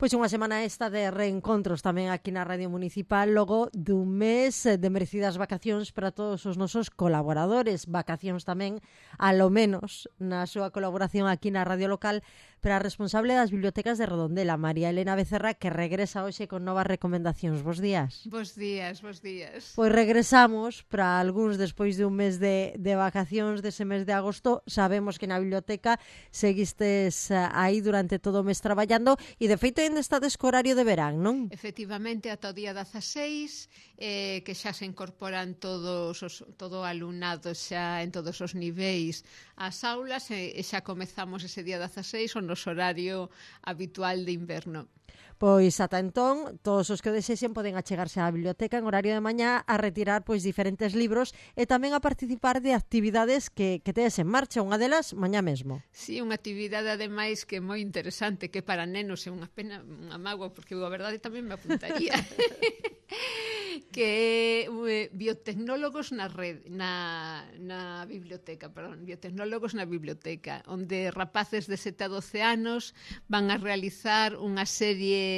Pois unha semana esta de reencontros tamén aquí na Radio Municipal, logo dun mes de merecidas vacacións para todos os nosos colaboradores, vacacións tamén, alo menos, na súa colaboración aquí na Radio Local, para a responsable das bibliotecas de Redondela, María Elena Becerra, que regresa hoxe con novas recomendacións. Bos días. Bos días, bos días. Pois regresamos para algúns despois de un mes de vacacións dese mes de agosto. Sabemos que na biblioteca seguistes aí durante todo o mes traballando e de feito ainda estades co horario de verán, non? Efectivamente, ata o día 16, que xa se incorporan todo o alumnado xa en todos os niveis ás aulas e xa comezamos ese día 16 o noso horario habitual de inverno. Pois ata entón, todos os que o desexen poden achegarse á biblioteca en horario de mañá a retirar pois diferentes libros e tamén a participar de actividades que tedes en marcha, unha delas mañá mesmo. Sí, unha actividade ademais que é moi interesante, que para nenos é unha pena, unha mágoa, porque eu a verdade tamén me apuntaría. Que é biotecnólogos na biblioteca, biotecnólogos na biblioteca, onde rapaces de 7 a 12 anos van a realizar unha serie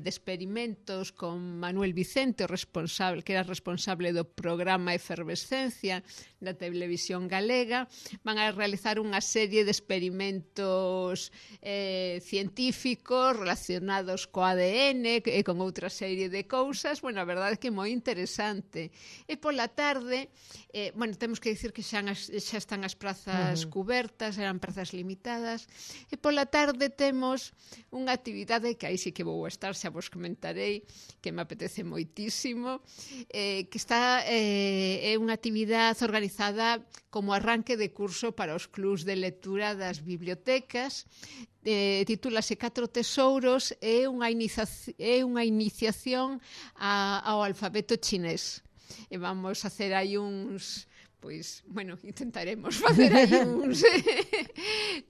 de experimentos con Manuel Vicente, que era responsable do programa Efervescencia da televisión galega. Van a realizar unha serie de experimentos científicos relacionados co ADN e con outra serie de cousas. Bueno, a verdade é que é moi interesante. E pola tarde, temos que dicir que xa están as prazas cubertas, eran prazas limitadas, e pola tarde temos unha actividade que aí sí que vou estar, xa vos comentarei, que me apetece moitísimo, que é unha actividade organizada como arranque de curso para os clubs de lectura das bibliotecas. Titúlase 4 tesouros, é unha iniciación ao alfabeto chinés. E vamos a hacer aí intentaremos facer aí uns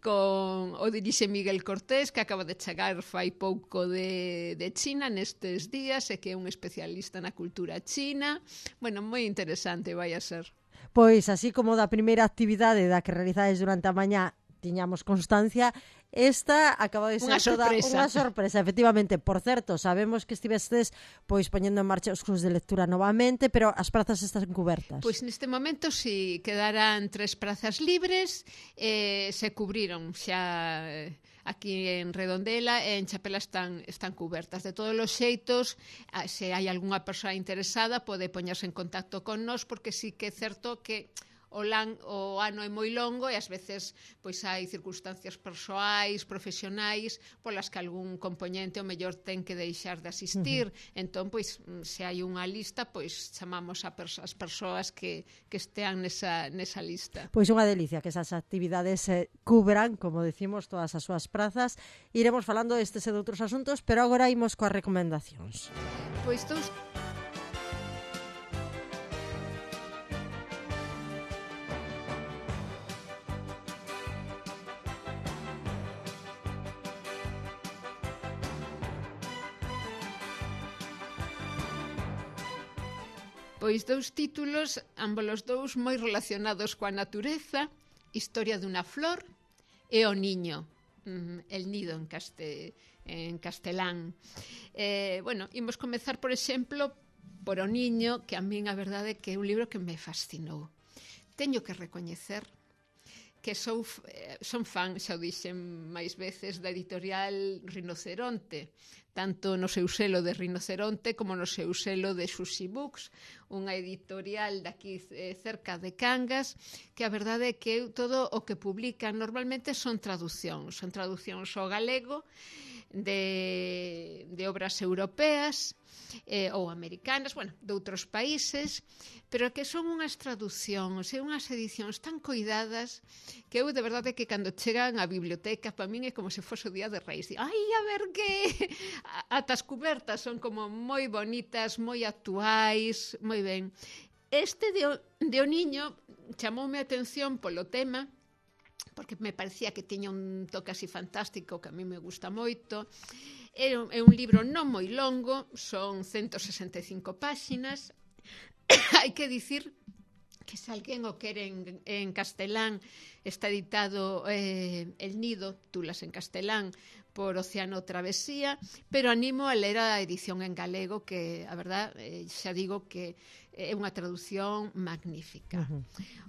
con o dirixe Miguel Cortés, que acaba de chegar fai pouco de China nestes días e que é un especialista na cultura china. Bueno, moi interesante vai a ser. Pois así como da primeira actividade da que realizades durante a mañá tiñamos constancia, esta acaba de ser unha sorpresa, efectivamente. Por certo, sabemos que estivestes pois poñendo en marcha os clubs de lectura novamente, pero as prazas están cubertas. Pois neste momento si quedarán 3 prazas libres, se cubriron xa aquí en Redondela e en Chapela están cubertas. De todos os xeitos, se hai algunha persoa interesada pode poñerse en contacto con nós, porque sí que é certo que o ano é moi longo e ás veces pois hai circunstancias persoais, profesionais, polas que algún componente o mellor ten que deixar de asistir. Entón, pois, se hai unha lista, pois chamamos as persoas que estean nesa lista. Pois unha delicia que esas actividades cubran, como decimos, todas as súas prazas. Iremos falando destes e de outros asuntos, pero agora imos coas recomendacións. Pois dous títulos, ambos dous moi relacionados coa natureza: Historia dunha flor e O niño, El nido en castelán. Imos comezar, por exemplo, por O niño, que a min a verdade é que é un libro que me fascinou. Teño que recoñecer que son fan, xa o dixen máis veces, da editorial Rinoceronte, tanto no seu selo de Rinoceronte como no seu selo de Xuxi Books, unha editorial daqui cerca de Cangas, que a verdade é que todo o que publican normalmente son traducións ao galego de obras europeas ou americanas, de outros países, pero que son unhas traducións e unhas edicións tan coidadas que eu de verdade que cando chegan á biblioteca para min é como se fose o Día de Reis. Ai, a ver que ata as cubertas son como moi bonitas, moi actuais, moi ben. Este de O niño chamoume a atención polo tema, porque me parecía que tiña un toque así fantástico que a mí me gusta moito. É un libro non moi longo, son 165 páxinas. Hai que dicir que se alguén o quere en castelán, está editado El Nido, Tulas en castelán, por Océano Travesía, pero animo a ler a edición en galego, que a verdad, xa digo que é unha traducción magnífica.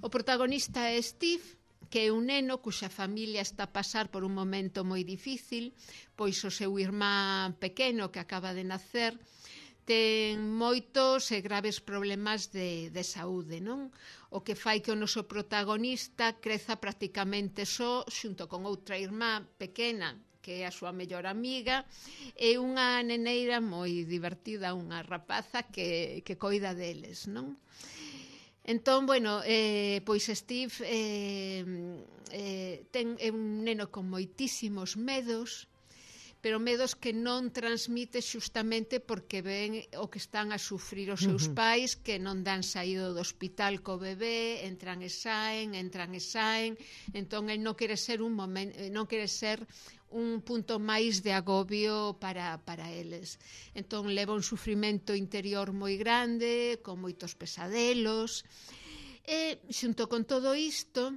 O protagonista é Steve, que é un neno cuxa familia está a pasar por un momento moi difícil, pois o seu irmán pequeno que acaba de nacer ten moitos e graves problemas de saúde, non? O que fai que o noso protagonista creza prácticamente só xunto con outra irmá pequena, que é a súa mellor amiga, e unha neneira moi divertida, unha rapaza que coida deles, non? Entón, bueno, pois Steve é un neno con moitísimos medos, pero medos que non transmite xustamente porque ven o que están a sufrir os seus pais, que non dan saído do hospital co bebé, entran e saen, entón el non quere ser un punto máis de agobio para eles. Entón leva un sufrimento interior moi grande, con moitos pesadelos, e xunto con todo isto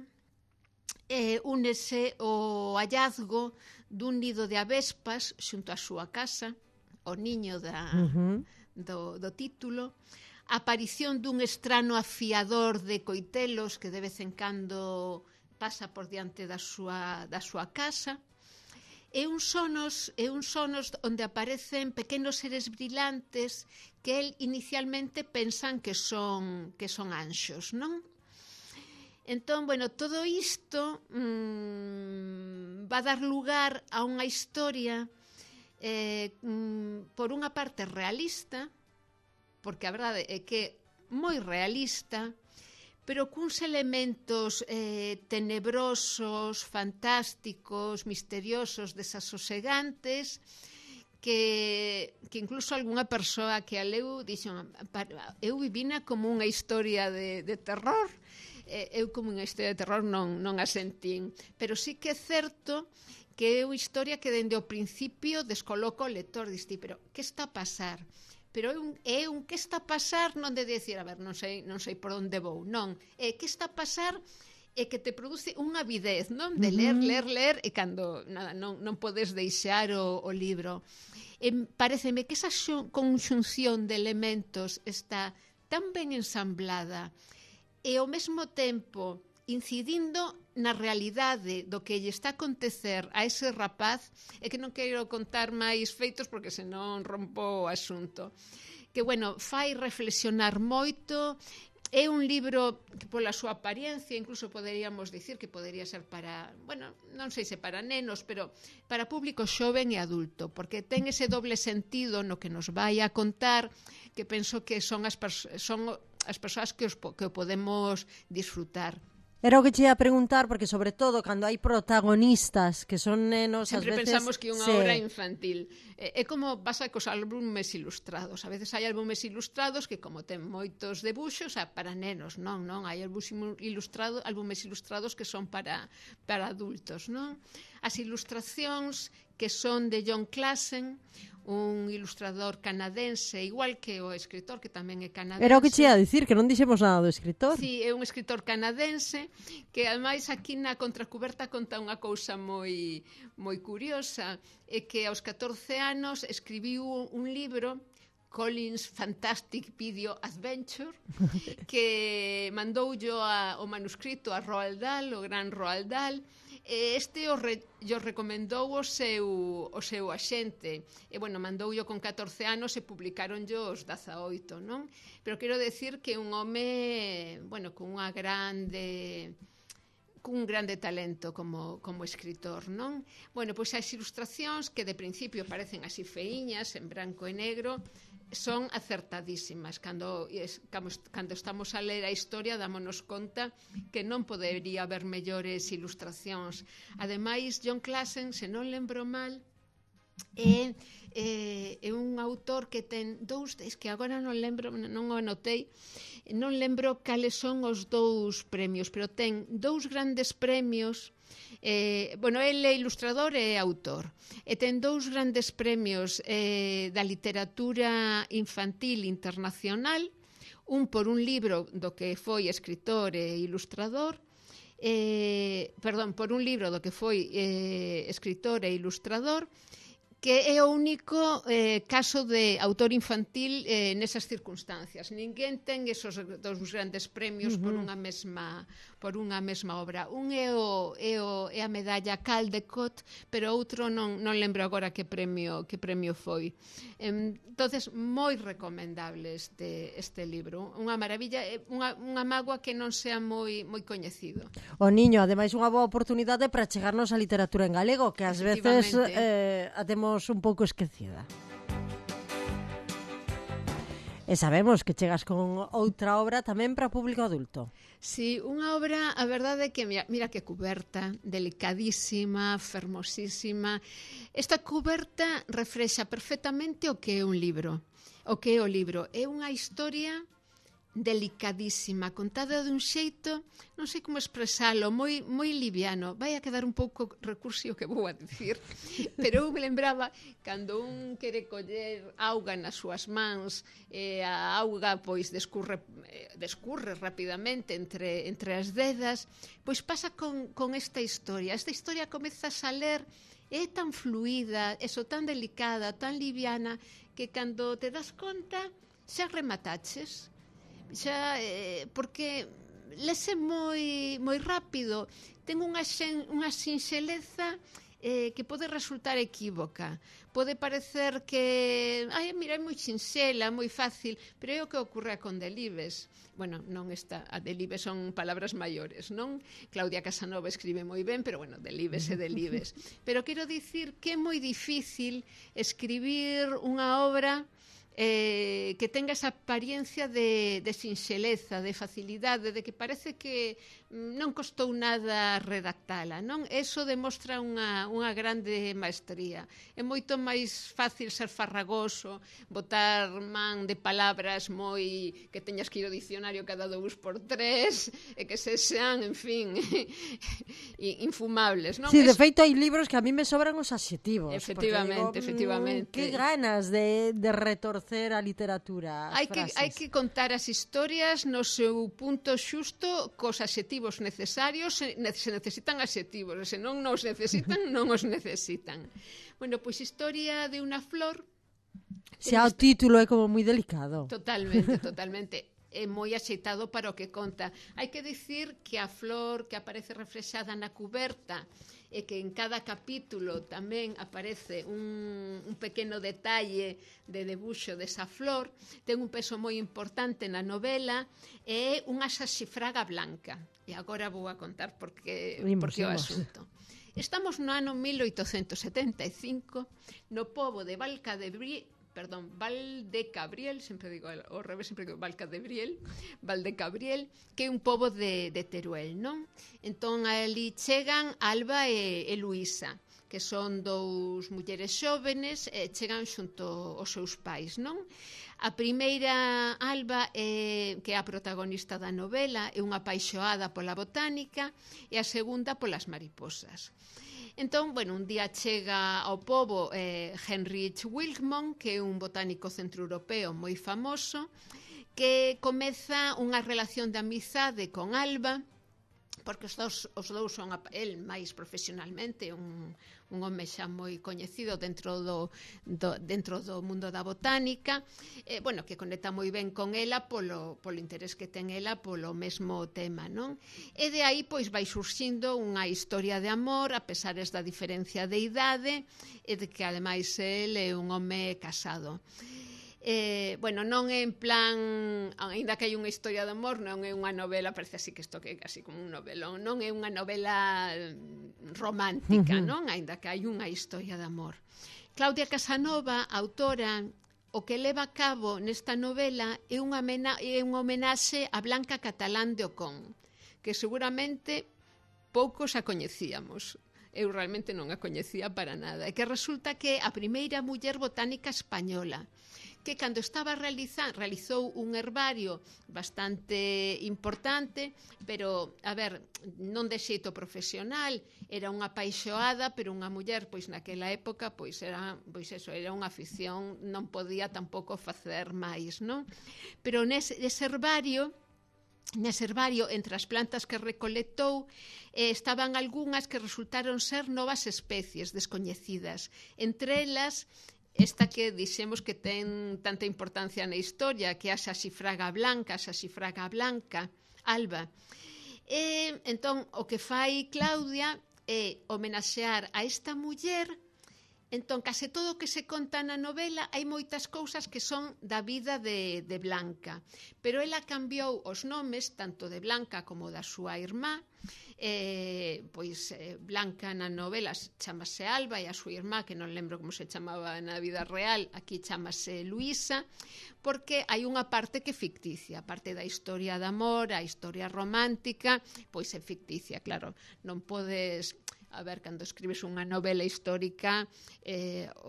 únese o hallazgo dun nido de avespas xunto á súa casa, o niño do título, a aparición dun estrano afiador de coitelos que de vez en cando pasa por diante da súa casa, e uns sonos onde aparecen pequenos seres brillantes que el inicialmente pensan que son anxos, non? Entón, bueno, todo isto va a dar lugar a unha historia por unha parte realista, porque a verdade é que moi realista, pero cuns elementos tenebrosos, fantásticos, misteriosos, desasosegantes, que incluso algunha persoa que a leu dixo, eu vivina como unha historia de terror. Eu como unha historia de terror non a sentín, pero sí que é certo que é unha historia que dende o principio descoloca o lector, diste, pero que está a pasar? Pero é un que está a pasar non de decir, a ver, non sei por onde vou, non, é que está a pasar e que te produce unha avidez, non? De ler, e cando non podes deixar o libro. Pareceme que esa conxunción de elementos está tan ben ensamblada e ao mesmo tempo incidindo na realidade do que lle está a acontecer a ese rapaz, e que non quero contar máis feitos porque senón rompo o asunto, que, bueno, fai reflexionar moito. É un libro que pola súa apariencia incluso poderíamos dicir que podería ser para, bueno, non sei se para nenos, pero para público xoven e adulto, porque ten ese doble sentido no que nos vai a contar, que penso que son as persoas que o podemos disfrutar. Era o que che ia preguntar, porque sobre todo cando hai protagonistas que son nenos, sempre ás veces pensamos que é unha obra infantil. É como pasa cos álbumes ilustrados. A veces hai álbumes ilustrados que, como ten moitos debuxos, para nenos, non? Hai álbumes ilustrados que son para adultos, non? As ilustracións que son de Jon Klassen, un ilustrador canadense, igual que o escritor, que tamén é canadense. Era o que che ia dicir, que non dixemos nada do escritor. Sí, é un escritor canadense que, ademais, aquí na contracuberta conta unha cousa moi curiosa, é que aos 14 anos escribiu un libro, Colin's Fantastic Video Adventure, que mandoullo o manuscrito a Roald Dahl, o gran Roald Dahl. Este o recomendou o seu axente, e, bueno, mandoullo con 14 anos e publicaronllo os 18, non? Pero quero decir que un home, bueno, con un grande talento como escritor, non? Bueno, pois as ilustracións, que de principio parecen así feiñas, en branco e negro, son acertadísimas. Cando estamos a ler a historia, dámonos conta que non podería haber mellores ilustracións. Ademais, Jon Klassen, se non lembro mal, é un autor que ten dous, es que agora non lembro, non o anotei, non lembro cales son os dous premios, pero ten dous grandes premios. Bueno, ele é ilustrador e autor, e ten dous grandes premios da literatura infantil internacional, por un libro do que foi escritor e ilustrador, por un libro do que foi escritor e ilustrador, que é o único caso de autor infantil nesas circunstancias. Ninguén ten esos dos grandes premios por unha mesma obra. Un é a medalla Caldecott, pero outro non lembro agora que premio foi. Entonces, moi recomendable este libro. Unha maravilla, unha mágoa que non sea moi coñecido. O niño, ademais, unha boa oportunidade para chegarnos á literatura en galego, que ás veces a temos un pouco esquecida. E sabemos que chegas con outra obra tamén para público adulto. Sí, unha obra, a verdade é que mira que cuberta, delicadísima, fermosísima. Esta cuberta reflexa perfectamente o que é un libro. O que é o libro é unha historia delicadísima, contada dun xeito, non sei como expresalo, moi liviano. Vai a quedar un pouco recursivo que vou a dicir, pero eu me lembraba cando un quere coller auga nas súas mans, e a auga pois descurre rapidamente entre as dedas, pois pasa con esta historia. Esta historia comeza a saler, é tan fluida, tan delicada, tan liviana, que cando te das conta xa remataches. Xa, porque lese moi rápido, ten unha sinxeleza que pode resultar equívoca, pode parecer que mira, é moi sinxela, moi fácil, pero é o que ocorre con Delibes. Bueno, non está, a Delibes son palabras maiores, non? Claudia Casanova escribe moi ben, pero bueno, Delibes é Delibes. Pero quero dicir que é moi difícil escribir unha obra que tenga esa apariencia de sinxeleza, de facilidade, de que parece que non costou nada redactala, non? Eso demostra unha grande maestría. É moito máis fácil ser farragoso, botar man de palabras que teñas que ir ao diccionario cada 2x3, e que se sean, en fin, infumables, non? Sí, de feito hai libros que a mí me sobran os adxetivos. Efectivamente. Que ganas de retorcer a literatura, as frases. Hai que contar as historias no seu punto xusto, cos adxetivos necesarios, se necesitan adxetivos, se non os necesitan, non os necesitan. Bueno, pois historia de unha flor. Xa o título é como moi delicado. Totalmente. É moi axeitado para o que conta. Hai que dicir que a flor que aparece reflexada na cuberta e que en cada capítulo tamén aparece un pequeno detalle de debuxo desa flor, ten un peso moi importante na novela, e é unha saxifraga blanca. E agora vou a contar porque o asunto. Estamos no ano 1875, no pobo de Valdecabriel, sempre digo ao revés, sempre digo Valdecabriel, que é un pobo de Teruel, non? Entón, ali chegan Alba e Luisa, que son dous mulleres xóvenes, chegan xunto aos seus pais, non? A primeira, Alba, que é a protagonista da novela, é unha apaixoada pola botánica, e a segunda polas mariposas. Entón, bueno, un día chega ao pobo Heinrich Wilkmont, que é un botánico centroeuropeo moi famoso, que comeza unha relación de amizade con Alba, porque os dous son, el máis profesionalmente, un home xa moi coñecido dentro do mundo da botánica, que conecta moi ben con ela polo interés que ten ela polo mesmo tema, non? E de aí pois vai surxindo unha historia de amor, a pesares da diferencia de idade, e de que ademais el é un home casado. Non é en plan, aínda que hai unha historia de amor, non é unha novela, parece así que isto que é casi como un novelón, non é unha novela romántica, non? Aínda que hai unha historia de amor. Claudia Casanova, autora, o que leva a cabo nesta novela é unha homenaxe a Blanca Catalán de Ocón, que seguramente poucos a coñecíamos. Eu realmente non a coñecía para nada. E que resulta que é a primeira muller botánica española, que cando estaba realizou un herbario bastante importante, pero, a ver, non de xeito profesional, era unha apaixoada, pero unha muller, pois naquela época, pois era unha afición, non podía tampouco facer máis, non? Pero nese herbario, entre as plantas que recolectou, estaban algunhas que resultaron ser novas especies descoñecidas. Entre elas, esta que dixemos que ten tanta importancia na historia, que é a saxifraga blanca, alba. Entón, o que fai Claudia é homenaxear a esta muller. Entón, case todo o que se conta na novela hai moitas cousas que son da vida de Blanca, pero ela cambiou os nomes tanto de Blanca como da súa irmá. Blanca na novela chamase Alba e a súa irmá, que non lembro como se chamaba na vida real, aquí chamase Luisa, porque hai unha parte que é ficticia, a parte da historia de amor, a historia romántica, pois é ficticia, claro, non podes... A ver, cando escribes unha novela histórica,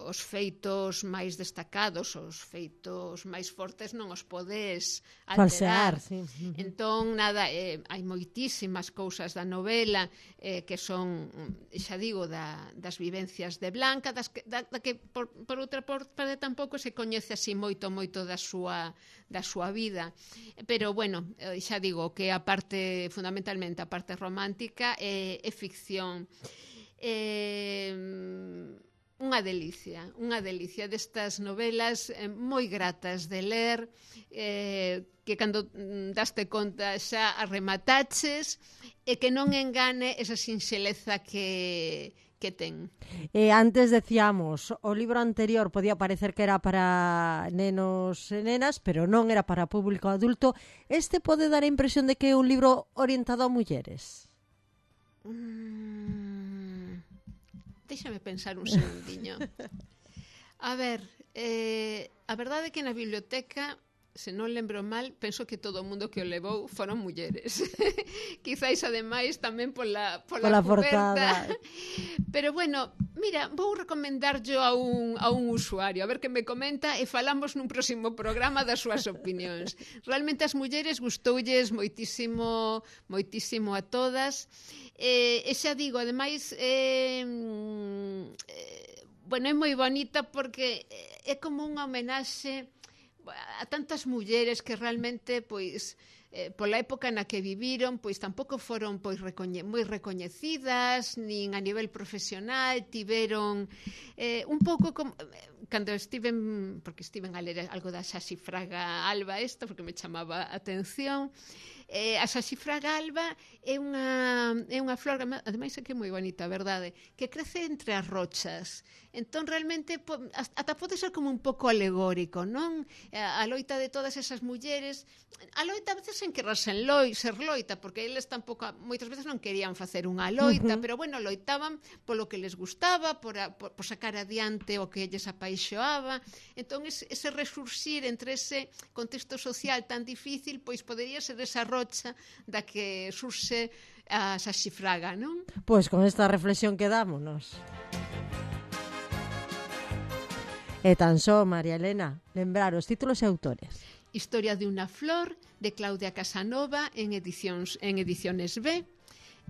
os feitos máis destacados, os feitos máis fortes non os podes alterar. Falsear, sí. Entón, nada, hai moitísimas cousas da novela que son, xa digo, das vivencias de Blanca, da que por outra parte tampouco se coñece así moito da súa vida. Pero, bueno, xa digo que a parte, fundamentalmente, a parte romántica é ficción. Unha delicia destas novelas moi gratas de ler, que cando daste conta xa as remataches e que non engane esa sinxeleza que ten. Antes decíamos, o libro anterior podía parecer que era para nenos e nenas, pero non era para público adulto. Este pode dar a impresión de que é un libro orientado a mulleres? Déxame pensar un segundiño. A ver, a verdade é que na biblioteca, se non lembro mal, penso que todo o mundo que o levou foron mulleres. Quizáis, ademais, tamén pola coberta. Pero, bueno, mira, vou recomendarllo a un usuario, a ver que me comenta e falamos nun próximo programa das súas opinións. Realmente as mulleres gustoulles moitísimo a todas. E xa digo, ademais, bueno, é moi bonita porque é como unha homenaxe a tantas mulleres que realmente, pois, pola época na que viviron, pois tampouco foron moi recoñecidas, nin a nivel profesional, tiveron un pouco como cando estiven a ler algo da saxifraga alba esta, porque me chamaba a atención. A saxifraga alba é unha flor, ademais é que é moi bonita, a verdade, que crece entre as rochas. Entón, realmente, ata pode ser como un pouco alegórico, non? A loita de todas esas mulleres, a loita a veces sen querer ser loita, porque eles tampouco, moitas veces non querían facer unha loita, pero, bueno, loitaban polo que les gustaba, por sacar adiante o que lles apaixoaba. Entón, ese resurxir entre ese contexto social tan difícil, pois podería ser esa rocha da que surxe a saxifraga, non? Pois con esta reflexión quedámonos. E tan só, María Elena, lembrar os títulos e autores. Historia de unha flor, de Claudia Casanova, en Ediciones B,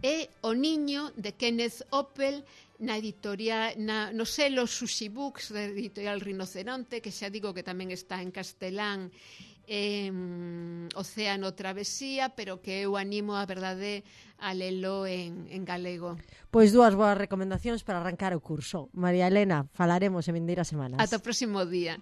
e O niño, de Kenneth Oppel, no selo Sushi Books, da editorial Rinoceronte, que xa digo que tamén está en castelán, Océano Travesía, pero que eu animo a verdade a lelo en galego. Pois dúas boas recomendacións para arrancar o curso. María Elena, falaremos en vindeiras semanas. Ata o próximo día.